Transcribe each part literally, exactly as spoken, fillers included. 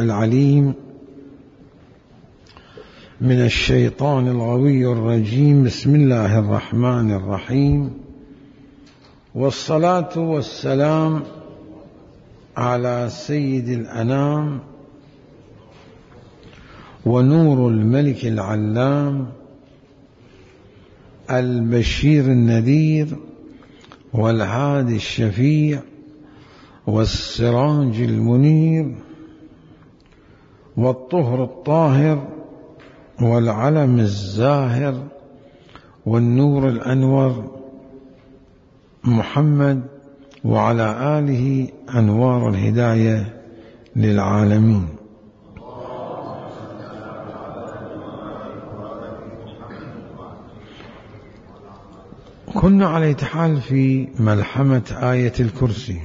السميع العليم من الشيطان الغوي الرجيم. بسم الله الرحمن الرحيم، والصلاة والسلام على سيد الأنام ونور الملك العلام البشير النذير والهادي الشفيع والسراج المنير والطهر الطاهر والعلم الزاهر والنور الأنور محمد وعلى آله أنوار الهداية للعالمين. كنا على أية حال في ملحمة آية الكرسي،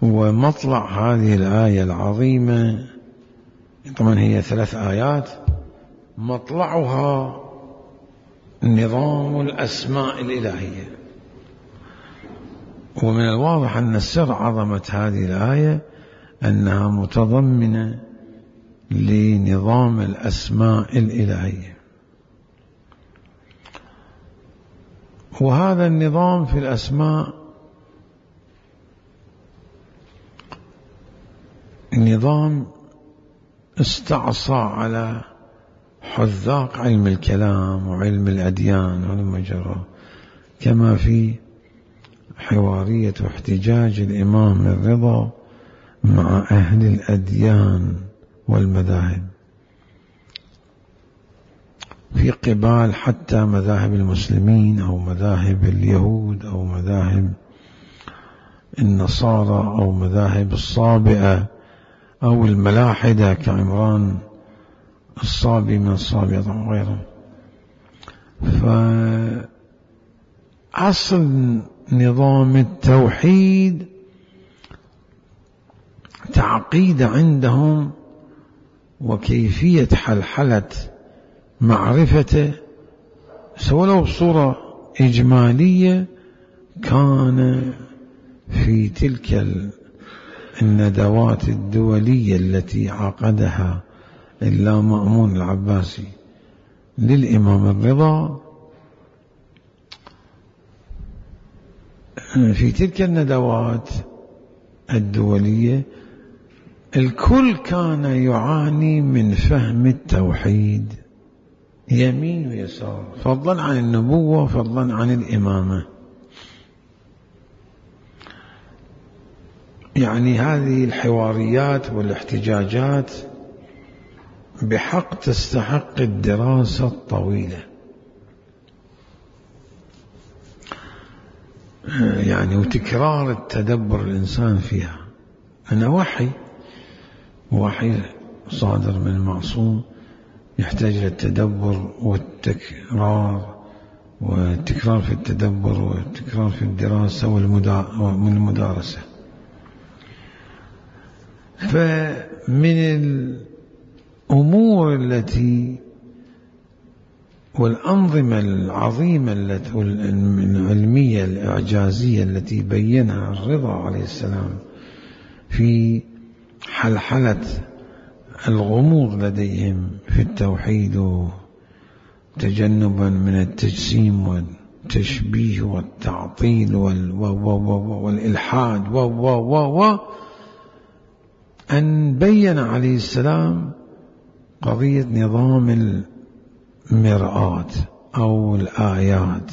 ومطلع هذه الآية العظيمة طبعا هي ثلاث آيات، مطلعها نظام الأسماء الإلهية. ومن الواضح أن سر عظمة هذه الآية أنها متضمنة لنظام الأسماء الإلهية، وهذا النظام في الأسماء نظام استعصى على حذاق علم الكلام وعلم الأديان والمجرى، كما في حوارية واحتجاج الإمام الرضا مع أهل الأديان والمذاهب في قبال حتى مذاهب المسلمين أو مذاهب اليهود أو مذاهب النصارى أو مذاهب الصابئة أو الملاحدة كعمران الصابي من الصابئة وغيره. فأصل نظام التوحيد تعقيد عندهم وكيفية حلحلة معرفته سواء بصورة إجمالية كان في تلك الندوات الدولية التي عقدها اللامأمون العباسي للإمام الرضا. في تلك الندوات الدولية الكل كان يعاني من فهم التوحيد يمين ويسار، فضلا عن النبوة فضلا عن الإمامة. يعني هذه الحواريات والاحتجاجات بحق تستحق الدراسة الطويلة، يعني وتكرار التدبر الإنسان فيها. أنا وحي وحي صادر من المعصوم يحتاج للتدبر والتكرار، والتكرار في التدبر والتكرار في الدراسة والمدارسة. فمن الأمور التي والأنظمة العظيمة العلمية الإعجازية التي بينها الرضا عليه السلام في حلحلة الغموض لديهم في التوحيد تجنبا من التجسيم والتشبيه والتعطيل والإلحاد و و و أن بين عليه السلام قضية نظام المرآة أو الآيات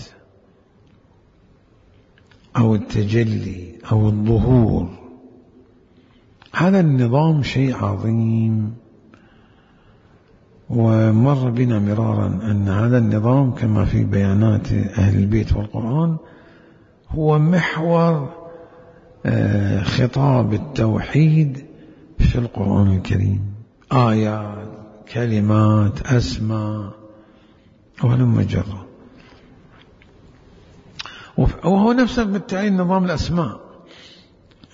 أو التجلي أو الظهور. هذا النظام شيء عظيم، ومر بنا مرارا أن هذا النظام كما في بيانات أهل البيت والقرآن هو محور خطاب التوحيد في القرآن الكريم، آيات كلمات أسماء ولم جرى. وهو نفسه بالتالي نظام الأسماء،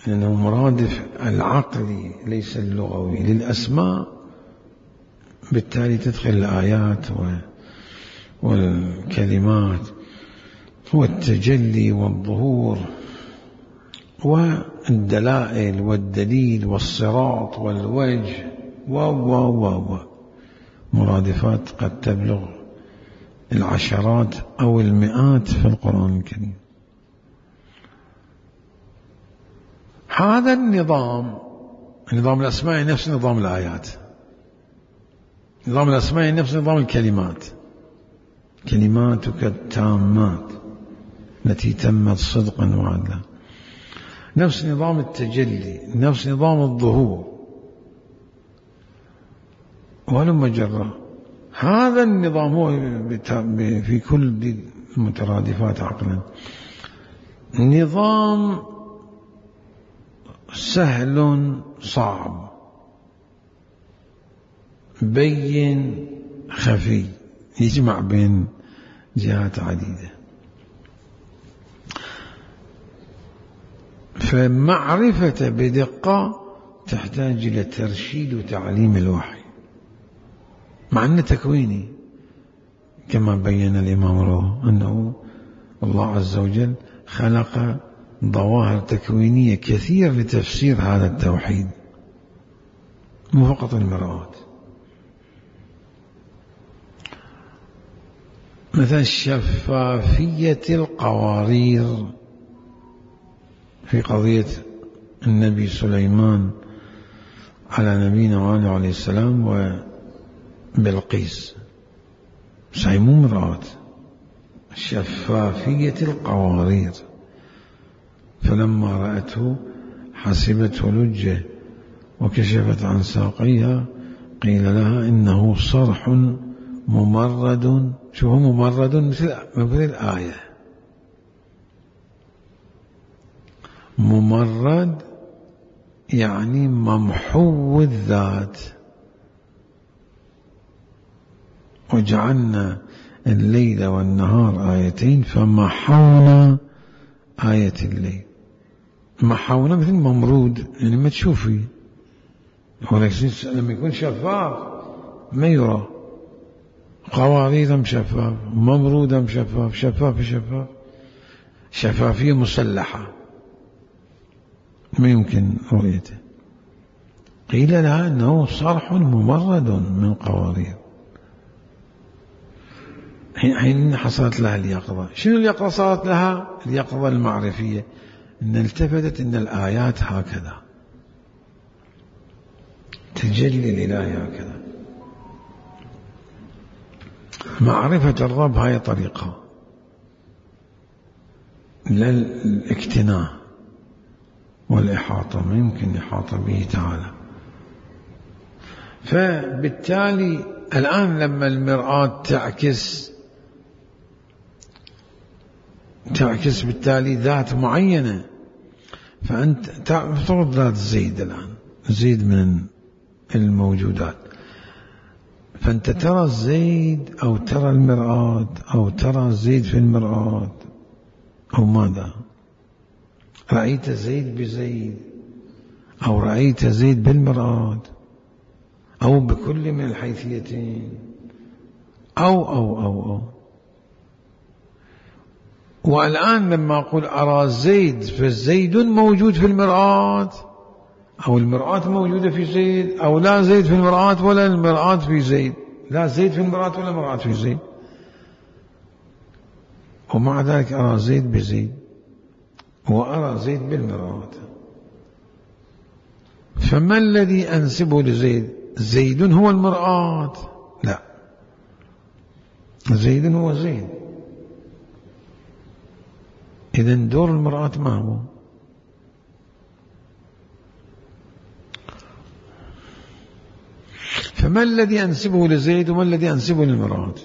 لأنه مرادف العقلي ليس اللغوي للأسماء، بالتالي تدخل الآيات والكلمات والتجلي والظهور. الدلائل والدليل والصراط والوجه و و و و مرادفات قد تبلغ العشرات أو المئات في القرآن الكريم. هذا النظام، نظام الأسماء نفس نظام الآيات، نظام الأسماء نفس نظام الكلمات، كلماتك التامات التي تمت صدقا وعدلا، نفس نظام التجلي، نفس نظام الظهور ولما جرى. هذا النظام هو في كل المترادفات عقلا نظام سهل صعب بين خفي، يجمع بين جهات عديدة. فمعرفة بدقة تحتاج إلى ترشيد وتعليم الوحي، مع أنه تكويني كما بين الإمام روح أنه الله عز وجل خلق ظواهر تكوينية كثير لتفسير هذا التوحيد، مو فقط المرآة. مثلا شفافية القوارير في قضية النبي سليمان على نبينا وآله عليه السلام وبلقيس، صحيح مو مرآة، شفافية القوارير. فلما رأته حسبته لجة وكشفت عن ساقيها قيل لها إنه صرح ممرد. شو هو ممرد؟ مثل مثل الآية ممرد يعني ممحو الذات. وجعلنا الليل والنهار آيتين فمحونا آية الليل. محونا مثل ممرود يعني ما تشوفي، ولكن لما يكون شفاف ما يرى. قوارير مشفاف، ممرودة مشفاف، شفاف شفاف، شفافية مسلحة ما يمكن رؤيته. قيل لها أنه صرح ممرد من قوارير. حين حصلت لها اليقظة. شنو اليقظة صارت لها؟ اليقظة المعرفية، إن التفتت إن الآيات هكذا، تجلي الإله هكذا. معرفة الرب هاي طريقة للاكتناء والإحاطة، ما يمكن إحاطة به تعالى. فبالتالي الآن لما المرآة تعكس تعكس بالتالي ذات معينة، فأنت تفترض ذات زيد الآن، زيد من الموجودات، فأنت ترى الزيد أو ترى المرآة أو ترى الزيد في المرآة أو ماذا؟ رأيت زيد بزيد أو رأيت زيد بالمرآة أو بكل من الحيثيتين أو أو أو أو والآن لما أقول أرى زيد فالزيد موجود في المرآة أو المرآة موجودة في زيد، أو لا زيد في المرآة ولا المرآة في زيد، لا زيد في المرآة ولا المرآة في زيد، ومع ذلك أرى زيد بزيد وأرى زيد بالمرآة. فما الذي أنسبه لزيد؟ زيد هو المرآة؟ لا، زيد هو زيد. إذن دور المرآة ما هو؟ فما الذي أنسبه لزيد وما الذي أنسبه للمرآة؟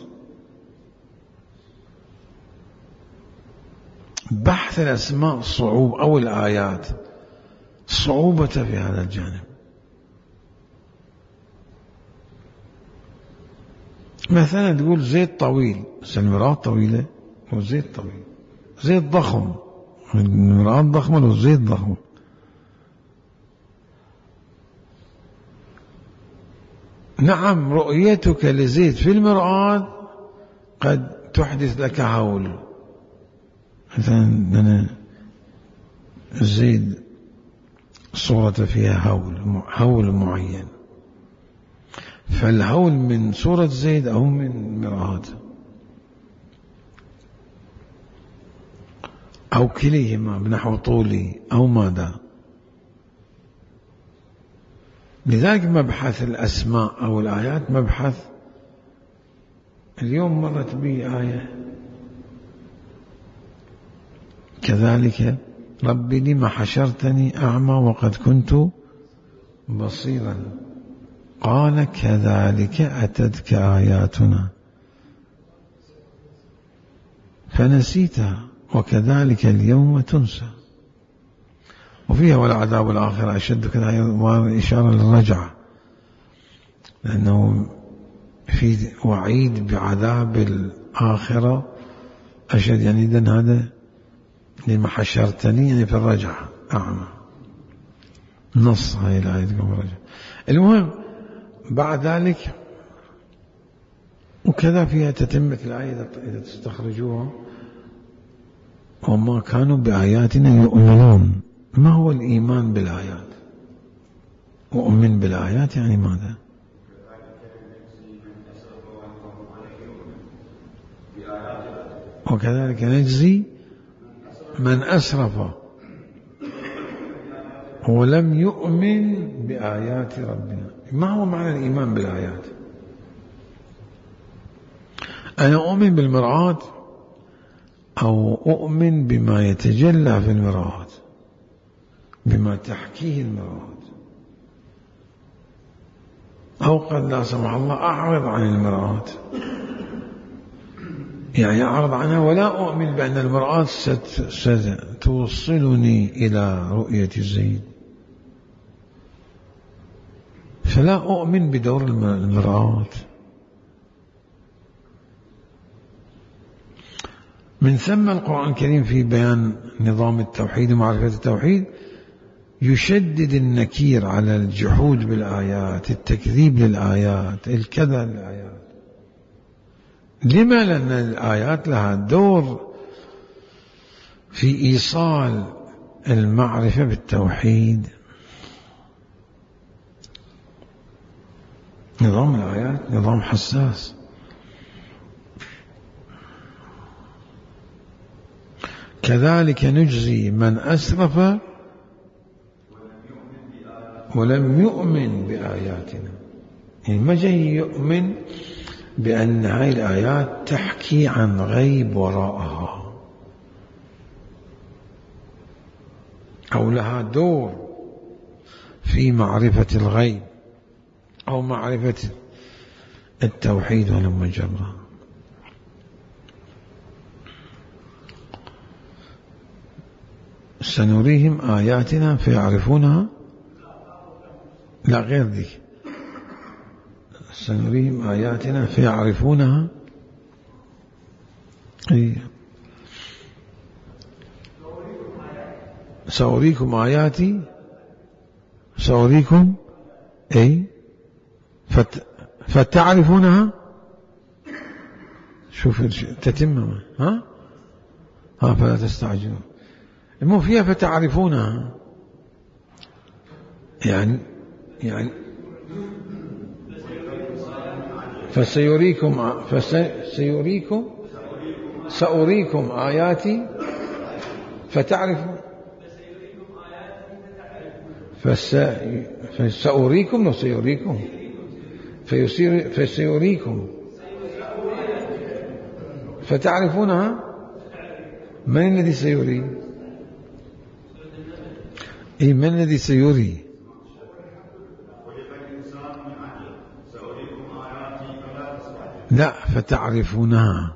بحث الأسماء صعوب أو الآيات صعوبة في هذا الجانب. مثلا تقول زيد طويل، بس المرآة طويلة وزيد طويل، زيد ضخم، المرآة ضخمة والزيد ضخم. نعم رؤيتك لزيد في المرآة قد تحدث لك هول. مثلا أنا زيد صورة فيها هول هول معين، فالهول من صورة زيد أو من مرآة أو كليهما بنحو طولي أو ماذا. لذلك مبحث الأسماء أو الآيات مبحث. اليوم مرت بي آية كذلك رب لم حشرتني أعمى وقد كنت بصيرا قال كذلك أتتك آياتنا فنسيتها وكذلك اليوم تنسى. وفيها والعذاب الآخر أشد كذا، إشارة للرجعة، لأنه في وعيد بعذاب الآخرة أشد. يعني إذن هذا لما حشرتني يعني في الرجعة أعمى، نص هاي الآية تقول الرجعة. المهم بعد ذلك وكذا فيها تتمة الآية إذا تستخرجوها، وما كانوا بآياتنا يؤمنون. ما هو الإيمان بالآيات؟ أؤمن بالآيات يعني ماذا؟ وكذلك نجزي من أسرف ولم يؤمن بآيات ربنا. ما هو معنى الإيمان بالآيات؟ أنا أؤمن بالمرآة أو أؤمن بما يتجلى في المرآة، بما تحكيه المرآة، أو قد لا سمح الله أعرض عن المرآة، يعني أعرض عنها ولا أؤمن بأن المرآة ستوصلني إلى رؤية زيد، فلا أؤمن بدور المرآة. من ثم القرآن الكريم في بيان نظام التوحيد ومعرفة التوحيد يشدد النكير على الجحود بالآيات، التكذيب للآيات، الكذا للآيات. لما؟ لأن الآيات لها دور في إيصال المعرفة بالتوحيد. نظام الآيات نظام حساس. كذلك نجزي من أسرف ولم يؤمن بآياتنا. يعني ما جاي يؤمن بأن هاي الآيات تحكي عن غيب وراءها أو لها دور في معرفة الغيب أو معرفة التوحيد ولما جرى. سنريهم آياتنا فيعرفونها، لا غير ذيك، سنريهم آياتنا فيعرفونها. أي سأريكم آياتي سأريكم أي فت فتعرفونها. شوف تتمم ها ها فلا تستعجلوا. المهم فيها فتعرفونها، يعني يعني فسيريكم فسيريكم سأريكم آياتي فتعرفوا فسأريكم لو سيريكم فيصير فسيريكم فتعرفونها. من الذي سيري؟ أي من الذي سيري؟ لا فتعرفونها.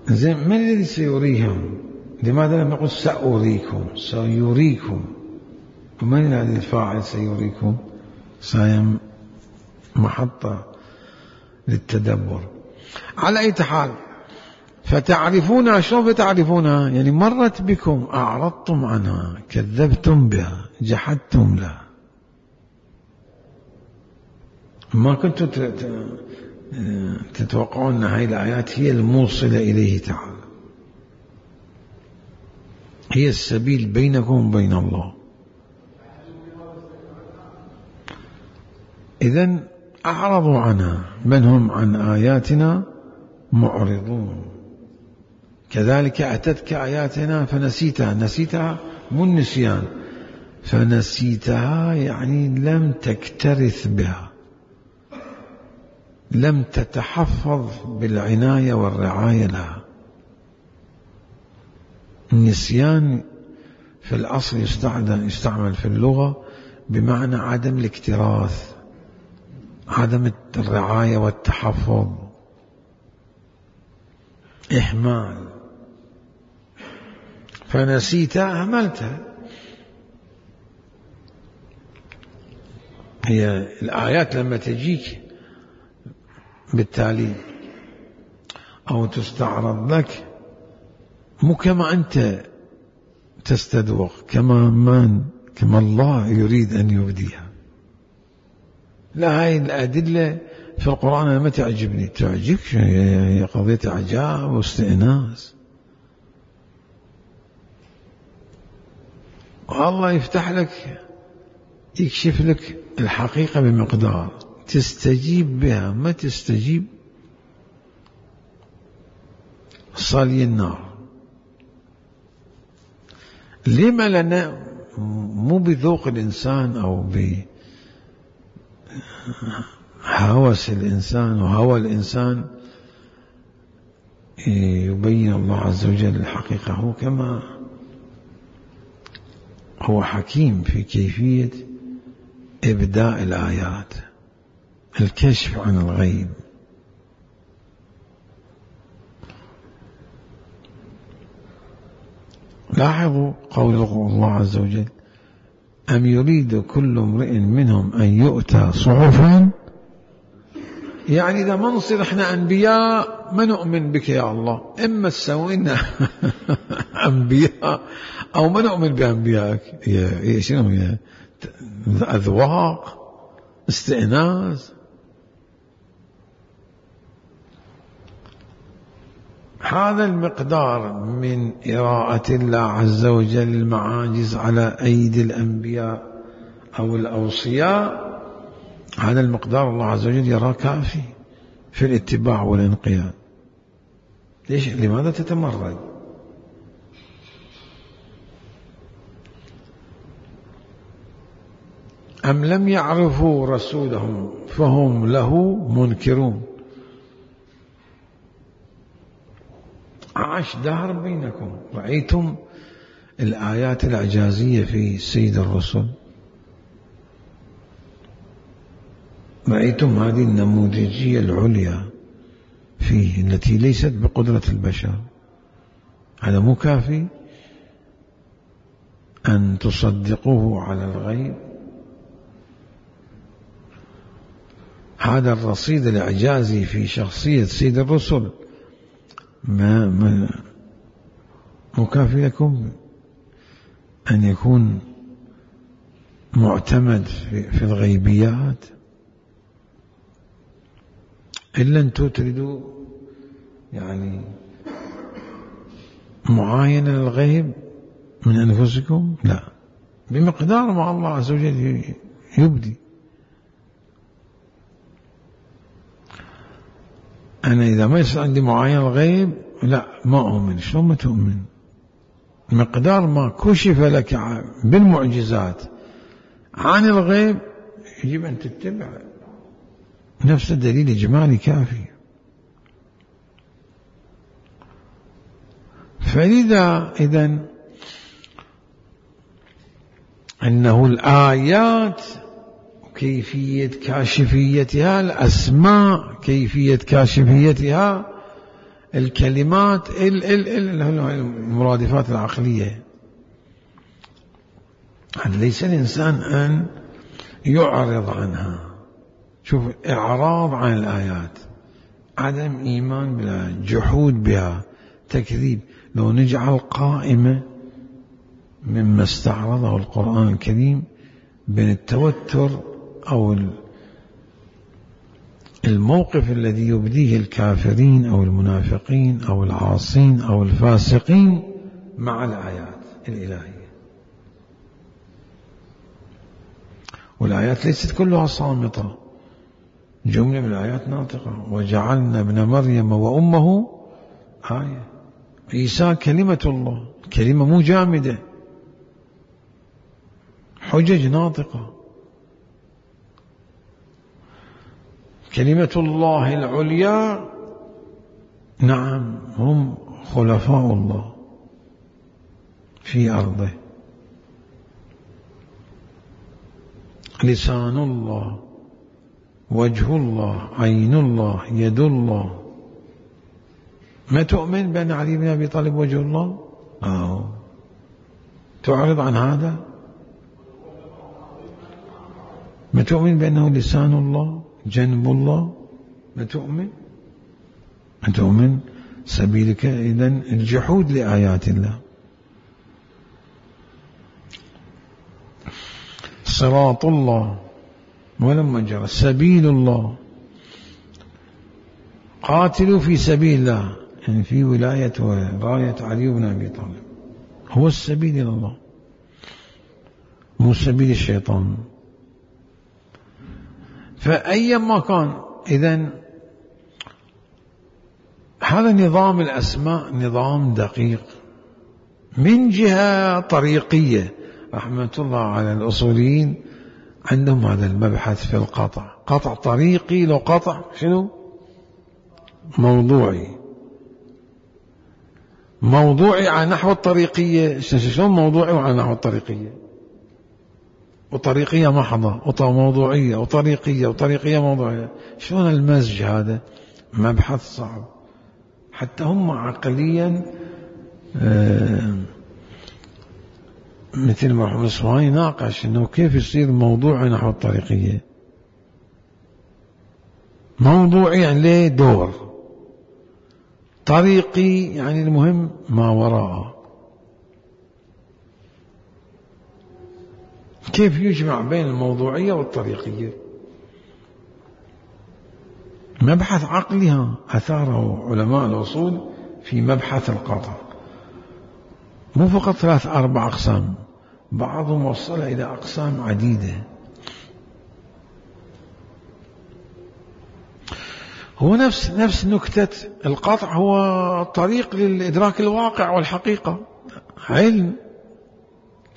زين من الذي سيريهم؟ لماذا لم نقل سأريكم؟ سيريكم. ومن الذي الفاعل سيريكم؟ سايم محطة للتدبر. على أي حال فتعرفونها. شلون فتعرفونها؟ يعني مرت بكم أعرضتم عنها، كذبتم بها، جحدتم لها، ما كنتم تتوقعون أن هذه الآيات هي الموصلة إليه تعالى، هي السبيل بينكم وبين الله. إذن أعرضوا عنها، من هم عن آياتنا معرضون. كذلك أتتك آياتنا فنسيتها، نسيتها مو النسيان، فنسيتها يعني لم تكترث بها، لم تتحفظ بالعناية والرعاية لها. النسيان في الأصل يستعمل في اللغة بمعنى عدم الاكتراث، عدم الرعاية والتحفظ، إهمال. فنسيتها أهملتها. هي الآيات لما تجيك بالتالي أو تستعرض لك مو كما أنت تستدوق، كما من كما الله يريد أن يبديها. لا، هاي الأدلة في القرآن أنا ما تعجبني، تعجبك هي قضية إعجاب واستئناس. والله يفتح لك، يكشف لك الحقيقة بمقدار تستجيب بها، ما تستجيب صلي النار. لما؟ لنا مو بذوق الإنسان أو بهوس الإنسان وهوى الإنسان يبين الله عز وجل الحقيقة. هو كما هو حكيم في كيفية إبداء الآيات، الكشف عن الغيب. لاحظوا قول الله عز وجل: أم يريد كل امرئ منهم أن يؤتى صحفا. يعني إذا ما نصير إحنا أنبياء ما نؤمن بك يا الله، إما تسوينا أنبياء أو ما نؤمن بأنبيائك. هي شنو هي؟ أذواق، استئناس. هذا المقدار من إراءة الله عز وجل المعاجز على أيدي الأنبياء أو الأوصياء، هذا المقدار الله عز وجل يراه كافي في الاتباع والانقياد. ليش؟ لماذا تتمرد؟ أم لم يعرفوا رسولهم فهم له منكرون. عاش دهر بينكم، رأيتم الآيات الإعجازية في سيد الرسل، رأيتم هذه النموذجية العليا فيه التي ليست بقدرة البشر. هذا مو كافي أن تصدقوه على الغيب؟ هذا الرصيد الإعجازي في شخصية سيد الرسل ما ما مكافي لكم أن يكون معتمد في, في الغيبيات؟ إلا أنتم تريدوا يعني معاينة للغيب من أنفسكم؟ لا، بمقدار ما الله عز وجل يبدي. أنا إذا ما يصير عندي معاينة الغيب لا ما أؤمن. شلون ما تؤمن؟ مقدار ما كشف لك بالمعجزات عن الغيب يجب أن تتبع، نفس الدليل إجمالي كافي. فلذا إذن أنه الآيات كيفية كاشفيتها، الأسماء كيفية كاشفيتها، الكلمات المرادفات العقلية. ليس الإنسان أن يعرض عنها. شوف، إعراض عن الآيات، عدم إيمان بها، جحود بها، تكذيب. لو نجعل قائمة مما استعرضه القرآن الكريم بين التوتر أو الموقف الذي يبديه الكافرين أو المنافقين أو العاصين أو الفاسقين مع الآيات الإلهية. والآيات ليست كلها صامتة، جملة من الآيات ناطقة. وجعلنا ابن مريم وأمه آية. عيسى كلمة الله، كلمة مو جامدة، حجج ناطقة. كلمة الله العليا، نعم، هم خلفاء الله في أرضه. لسان الله، وجه الله، عين الله، يد الله. ما تؤمن بأن علي بن أبي طالب وجه الله؟ أو تعرض عن هذا؟ ما تؤمن بأنه لسان الله، جنب الله؟ ما تؤمن؟ ما تؤمن؟ سبيلك إذن الجحود لآيات الله. صراط الله ولما جرى، سبيل الله، قاتلوا في سبيل الله، يعني في ولاية وراية علي بن أبي طالب، هو السبيل إلى الله، مو سبيل الشيطان. فأيما كان، إذن هذا نظام الأسماء نظام دقيق من جهة طريقية. رحمة الله على الأصوليين، عندهم هذا المبحث في القطع، قطع طريقي لو قطع شنو موضوعي. موضوعي على نحو الطريقية، شلون موضوعي وعلى نحو الطريقية؟ وطريقية محضة وموضوعية وطريقية وطريقية موضوعية، شلون المزج هذا؟ مبحث صعب. حتى هم عقليا آه مثل ما محمد الصفواني ناقش انه كيف يصير موضوعي نحو الطريقية. موضوعي يعني له دور، طريقي يعني المهم ما وراءه. كيف يجمع بين الموضوعية والطريقية؟ مبحث عقلي أثاره علماء الأصول في مبحث القطع. مو فقط ثلاث أربع أقسام، بعضهم وصل إلى أقسام عديدة. هو نفس نفس نكتة القطع، هو طريق للإدراك الواقع والحقيقة. علم،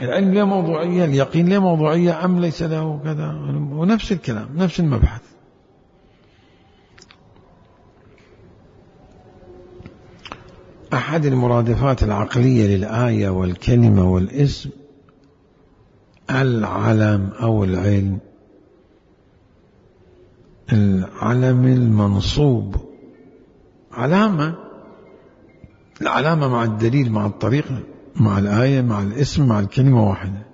العلم له موضوعية، اليقين له موضوعية أم ليس له كذا، ونفس الكلام، نفس المبحث. أحد المرادفات العقلية للآية والكلمة والاسم العلم أو العلم. العلم المنصوب علامة، العلامة مع الدليل مع الطريقة مع الآية مع الاسم مع الكلمة واحدة.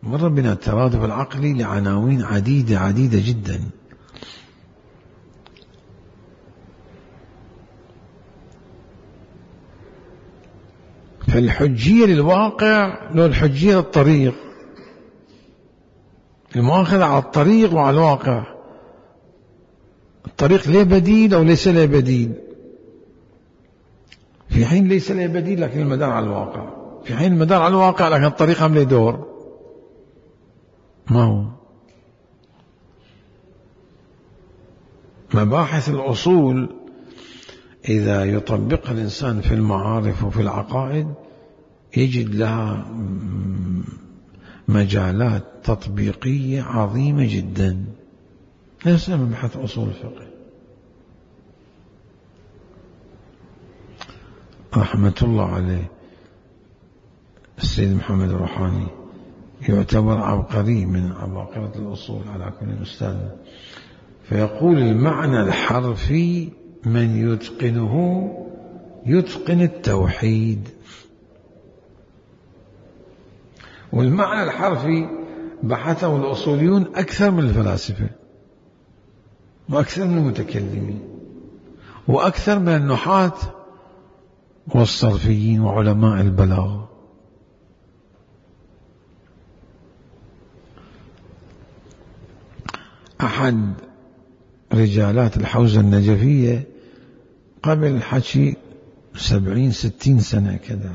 مر بنا الترادف العقلي لعناوين عديدة عديدة جدا. فالحجية للواقع لو الحجية للطريق، المؤاخذة على الطريق وعلى الواقع. الطريق له بديل أو ليس له بديل، في حين ليس له بديل لكن المدار على الواقع، في حين المدار على الواقع لكن الطريق هم له دور. ما هو مباحث الأصول إذا يطبقها الإنسان في المعارف وفي العقائد يجد لها مجالات تطبيقية عظيمة جدا. ليس مبحث أصول الفقه. رحمة الله عليه السيد محمد الروحاني يعتبر عبقري من عباقرة الأصول على كل مستوى. فيقول المعنى الحرفي من يتقنه يتقن التوحيد. والمعنى الحرفي بحثه الأصوليون أكثر من الفلاسفة وأكثر من المتكلمين وأكثر من النحاة والصرفيين وعلماء البلاغة. أحد رجالات الحوزة النجفية قبل حكي سبعين ستين سنة كذا،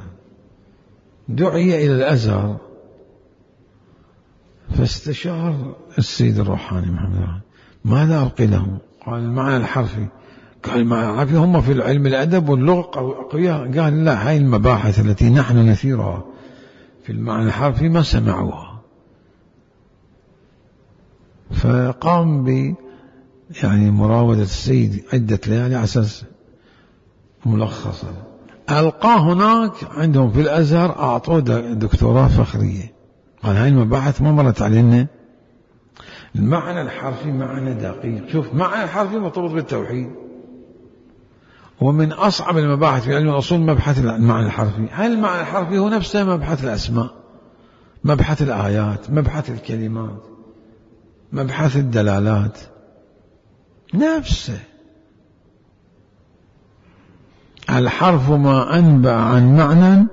دعي إلى الأزهر فاستشار السيد الروحاني محمد ماذا ألقي لهم؟ قال المعنى الحرفي. قال المعنى الحرفي هم في العلم الأدب واللغة أقوياء. قال لا، هاي المباحث التي نحن نثيرها في المعنى الحرفي ما سمعوها. فقام ب يعني مراودة السيد عدة ليالي على أساس ملخصا. ألقاه هناك عندهم في الأزهر، أعطوه دكتوراه فخرية. قال هاي المباحث ما مرت علينا. المعنى الحرفي معنى دقيق. شوف، معنى الحرفي مرتبط بالتوحيد، ومن أصعب المباحث في علم الأصول مبحث المعنى الحرفي. هل المعنى الحرفي هو نفسه مبحث الأسماء، مبحث الآيات، مبحث الكلمات، مبحث الدلالات، نفسه. الحرف ما أنبأ عن معنى،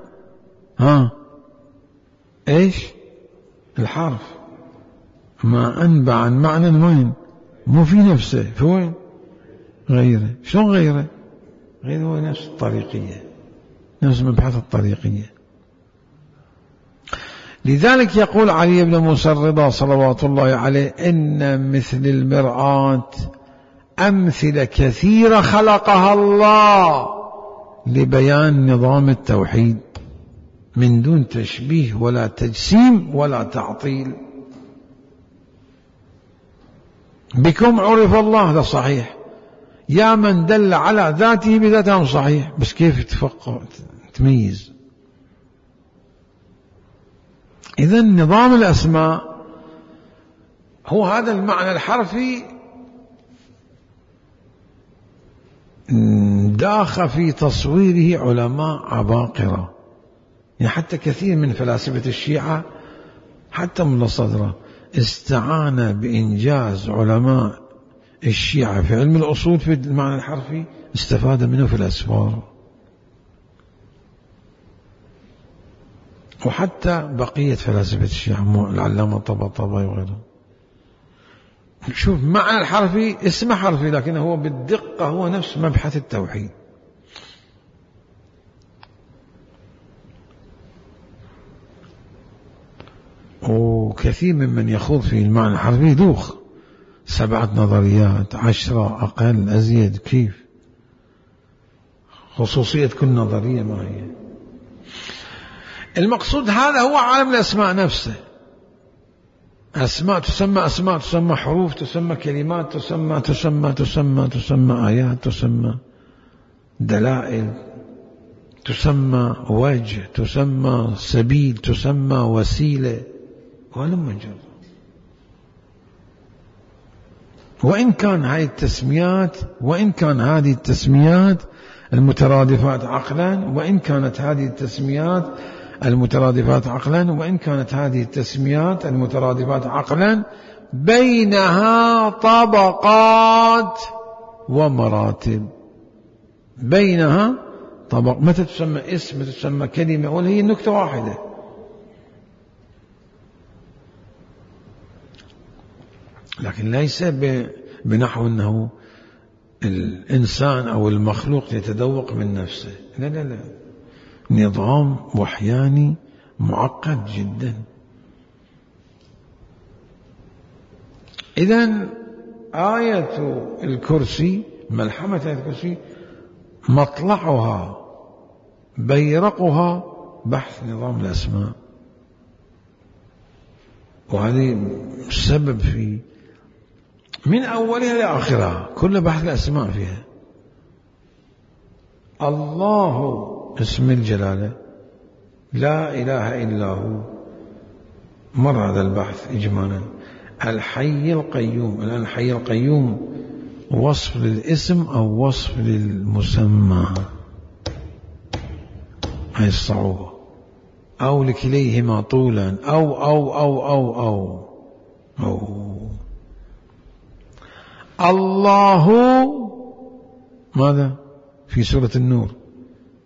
ها إيش الحرف؟ ما أنبأ عن معنى وين؟ مو في نفسه، في وين؟ غيره. شلون غيره؟ غيره هو نفس الطريقية، نفس مبحث الطريقية. لذلك يقول علي بن موسى الرضا صلوات الله عليه: إن مثل المرآة أمثلة كثيرة خلقها الله لبيان نظام التوحيد من دون تشبيه ولا تجسيم ولا تعطيل. بكم عرف الله، هذا صحيح. يا من دل على ذاته بذاته صحيح، بس كيف تفقه تميز؟ إذن نظام الأسماء هو هذا المعنى الحرفي داخ في تصويره علماء عباقرة. يعني حتى كثير من فلاسفة الشيعة حتى من الصدرة استعان بإنجاز علماء الشيعة في علم الأصول في المعنى الحرفي، استفاد منه في الأسفار، وحتى بقية فلاسفة الشيعة العلامة الطباطبائي وغيره. شوف، معنى الحرفي اسمه حرفي، لكن هو بالدقة هو نفس مبحث التوحيد. وكثير ممن يخوض في المعنى الحرفي دوخ سبعة نظريات، عشرة، أقل، أزيد. كيف؟ خصوصية كل نظرية ما هي؟ المقصود هذا هو عالم الأسماء نفسه. أسماء تسمى أسماء، تسمى حروف، تسمى كلمات، تسمى تسمى تسمى تسمى آيات، تسمى دلائل، تسمى وجه، تسمى سبيل، تسمى وسيلة، ولم يجر. وإن كان هذه التسميات وإن كان هذه التسميات المترادفات عقلا وإن كانت هذه التسميات المترادفات عقلا وإن كانت هذه التسميات المترادفات عقلا بينها طبقات ومراتب. بينها طبق. متى تسمى اسم، متى تسمى كلمة، ولا هي نكتة واحدة. لكن ليس بنحو أنه الإنسان أو المخلوق يتذوق من نفسه. لا لا لا، نظام وحياني معقد جدا. إذن آية الكرسي، ملحمة آية الكرسي، مطلعها بيرقها بحث نظام الأسماء، وهذه السبب في من أولها لآخرها كل بحث الأسماء فيها. الله اسم الجلالة، لا إله إلا هو، مر هذا البحث إجمالا. الحي القيوم، الآن الحي القيوم وصف للاسم أو وصف للمسمى، هاي الصعوبة، أو لكليهما طولا أو أو أو أو أو, أو. الله ماذا في سورة النور؟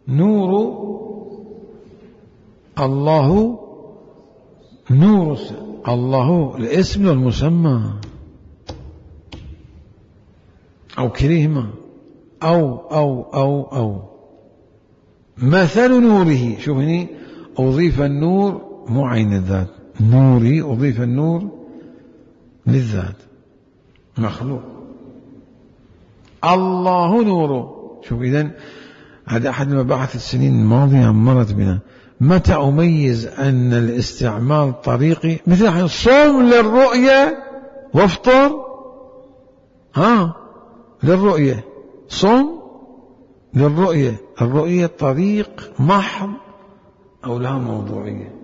نور الله، نور الله الاسم والمسمى. أو كليهما أو أو أو أو مثل نوره. شوف هني أضيف النور مو عين الذات، نوري أضيف النور للذات مخلوق. الله نوره. شوف إذن هذا أحد المباحث السنين الماضية مرت بنا. متى أميز أن الاستعمال طريقي؟ مثل صوم للرؤية وافطر ها للرؤية، صوم للرؤية، الرؤية طريق محض أو لها موضوعية؟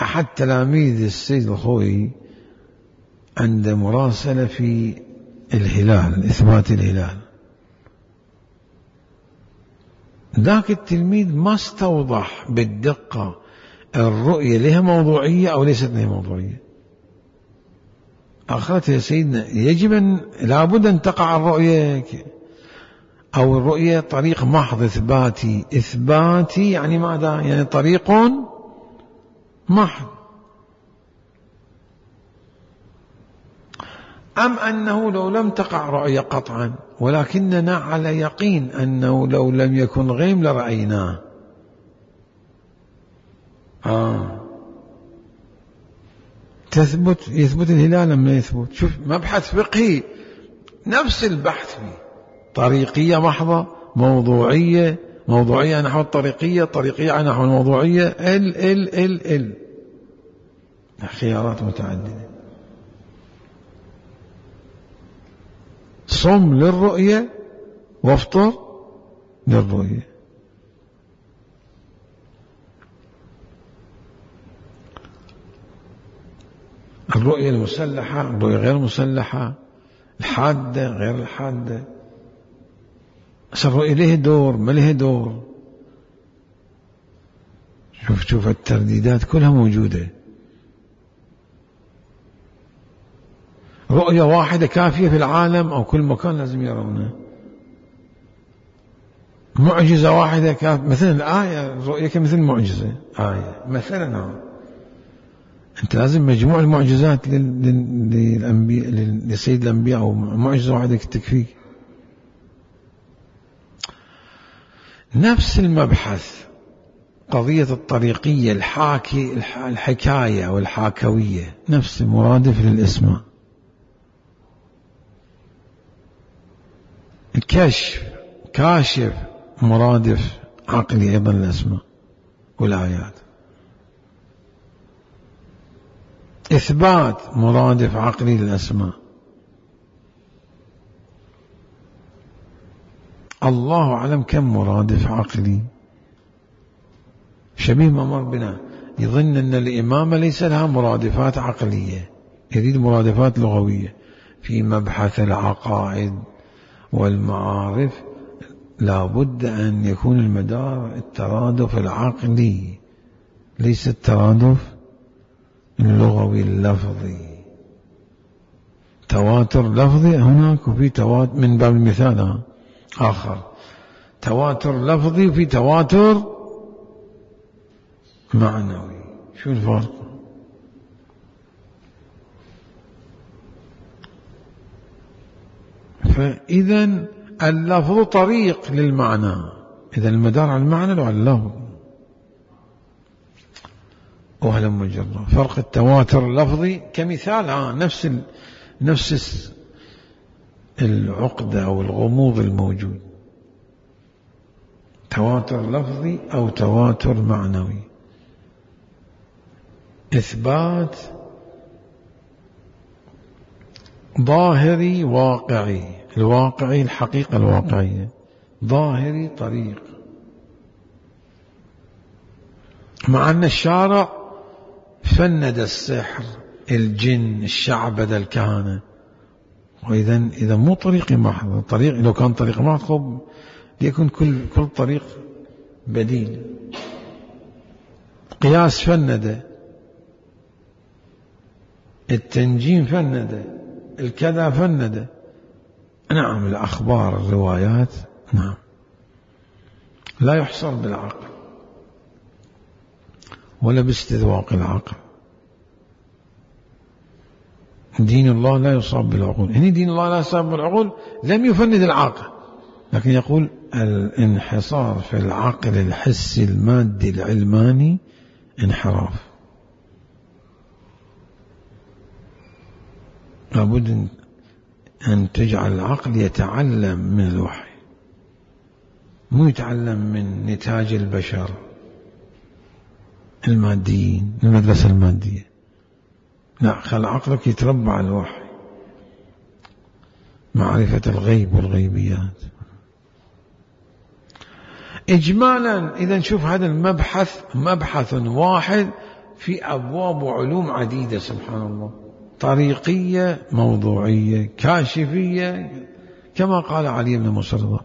أحد تلاميذ السيد الخوئي عند مراسلة في الهلال، إثبات الهلال، ذاك التلميذ ما استوضح بالدقة الرؤية لها موضوعية أو ليست لها موضوعية. آخرتها يا سيدنا يجب أن لابد أن تقع الرؤية، أو الرؤية طريق محض إثباتي. إثباتي يعني ماذا؟ يعني طريق محض. أم أنه لو لم تقع رؤية قطعا ولكننا على يقين أنه لو لم يكن غيم لرأيناه. آه. تثبت يثبت الهلال أم لا يثبت؟ شوف مبحث فقهي نفس البحث فيه، طريقية محضة، موضوعية، موضوعية نحو الطريقية، طريقية نحو الموضوعية، ال ال ال ال خيارات متعددة. صم للرؤية وافطر للرؤية. الرؤية المسلحة، الرؤية غير المسلحة، الحادة غير الحادة. بس الرؤية له دور ما له دور. شوف شوف الترديدات كلها موجودة. رؤية واحدة كافية في العالم أو كل مكان لازم يرونه؟ معجزة واحدة كافية؟ مثلا الآية الرؤية كمثل معجزة آية مثلا. أنت لازم مجموع المعجزات للأنبياء لسيد الأنبياء أو معجزة واحدة تكفيك. نفس المبحث قضية الطريقية، الحاكي الحكاية أو الحاكوية، نفس مرادف للإسماء. الكشف كاشف مرادف عقلي أيضا للأسماء والآيات. إثبات مرادف عقلي للأسماء. الله أعلم كم مرادف عقلي. شبيه ما مر بنا يظن أن الإمامة ليس لها مرادفات عقلية، يريد مرادفات لغوية. في مبحث العقائد والمعارف لا بد أن يكون المدار الترادف العقلي ليس الترادف اللغوي اللفظي. تواتر لفظي هناك وفي تواتر من باب المثال آخر، تواتر لفظي وفي تواتر معنوي. شو الفرق؟ فإذا اللفظ طريق للمعنى، إذا المدار على المعنى لو على اللفظ. وهلا مجرد فرق التواتر اللفظي كمثال آه نفس ال... نفس العقدة أو الغموض الموجود، تواتر لفظي أو تواتر معنوي. إثبات ظاهري واقعي، الواقعي الحقيقة الواقعية، ظاهري طريق. مع أن الشارع فند السحر، الجن، الشعبدة، الكهنة، وإذا إذا مو طريقي محض. طريق لو كان طريق محض ليكن كل كل طريق بديل. قياس فند، التنجيم فند، الكذا فند. نعم الأخبار الروايات نعم لا يحصر بالعقل ولا باستذواق العقل. دين الله لا يصاب بالعقول. هنا دين الله لا يصاب بالعقول لم يفند العاقل، لكن يقول الانحصار في العقل الحسي المادي العلماني انحراف. لابد أن تجعل العقل يتعلم من الوحي، مو يتعلم من نتاج البشر الماديين، المدرسة المادية. لا، خل عقلك يتربى على الوحي، معرفة الغيب والغيبيات. إجمالا إذا نشوف هذا المبحث مبحث واحد في أبواب وعلوم عديدة، سبحان الله، طريقية، موضوعية، كاشفية، كما قال علي بن موسى الرضا: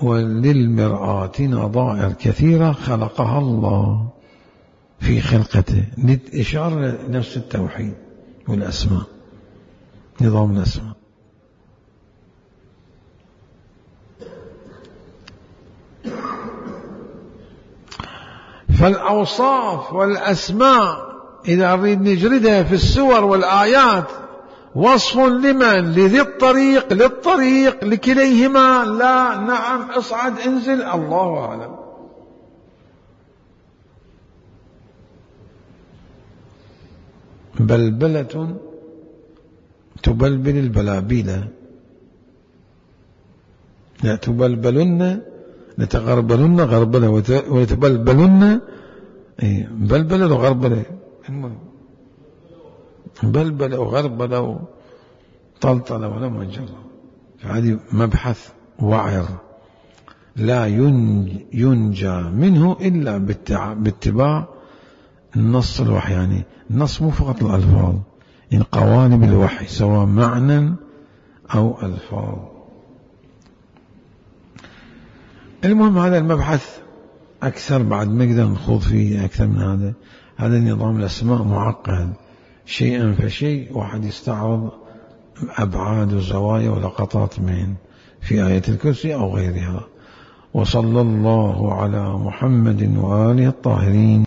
وللمرآة نظائر كثيرة خلقها الله في خلقته، للإشارة لنفس التوحيد والأسماء، نظام الأسماء. فالأوصاف والأسماء إذا نريد نجردها في السور والآيات وصف لمن؟ لذي الطريق، للطريق، لكليهما؟ لا، نعم، اصعد انزل، الله أعلم. بلبلة تبلبل البلابيل، لا تبلبلن لتغربلن غربلة وتبلبلن بلبلة وغربلة، بلبلة وغربلة وطلطلة ولم يجرى. فهذه مبحث وعر لا ينجى منه إلا باتباع النص الوحي. يعني النص مو فقط الألفاظ، إن قوالب الوحي سواء معنى أو ألفاظ. المهم هذا المبحث أكثر بعد ما نقدر نخوض فيه أكثر من هذا. هذا نظام الأسماء معقد، شيئا فشيء واحد يستعرض أبعاد وزوايا ولقطات من في آية الكرسي أو غيرها. وصلى الله على محمد وآله الطاهرين.